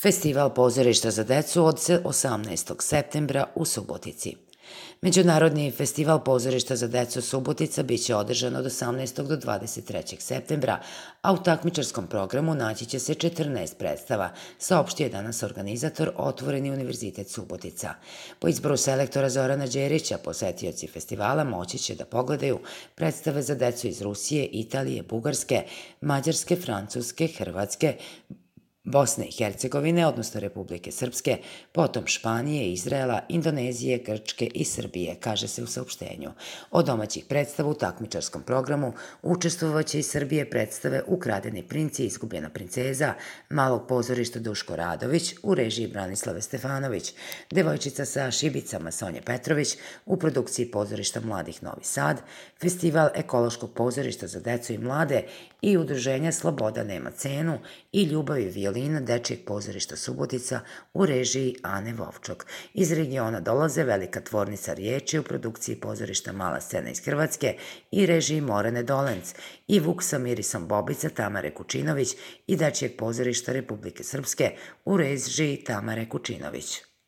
Festival pozorišta za decu od 18. septembra u Subotici. Međunarodni festival pozorišta za decu Subotica biće održan od 18. do 23. septembra, a u takmičarskom programu naći će se 14 predstava, saopštio je danas organizator Otvoreni univerzitet Subotica. Po izboru selektora Zorana Đerića, posetioci festivala moći će da pogledaju predstave za decu iz Rusije, Italije, Bugarske, Mađarske, Francuske, Hrvatske, Bosne i Hercegovine, odnosno Republike Srpske, potom Španije, Izraela, Indonezije, Grčke i Srbije, kaže se u saopštenju. Od domaćih predstava u takmičarskom programu učestvovaće iz Srbije predstave Ukradeni princ i Izgubljena princeza, Malog pozorišta Duško Radović u režiji Branislave Stefanović, Devojčica sa šibicama Sonje Petrović u produkciji pozorišta Mladih Novi Sad, Festival ekološkog pozorišta za decu i mlade i udruženja Sloboda nema cenu i Ljubav i violina Dečijeg pozorišta Subotica u režiji Ane Vovčok. Iz regiona dolaze Velika tvornica riječi u produkciji pozorišta Mala scena iz Hrvatske i režiji Morane Dolenc i Vuk sa mirisom bobica Tamare Kučinović i Dečijeg pozorišta Republike Srpske u režiji Tamare Kučinović.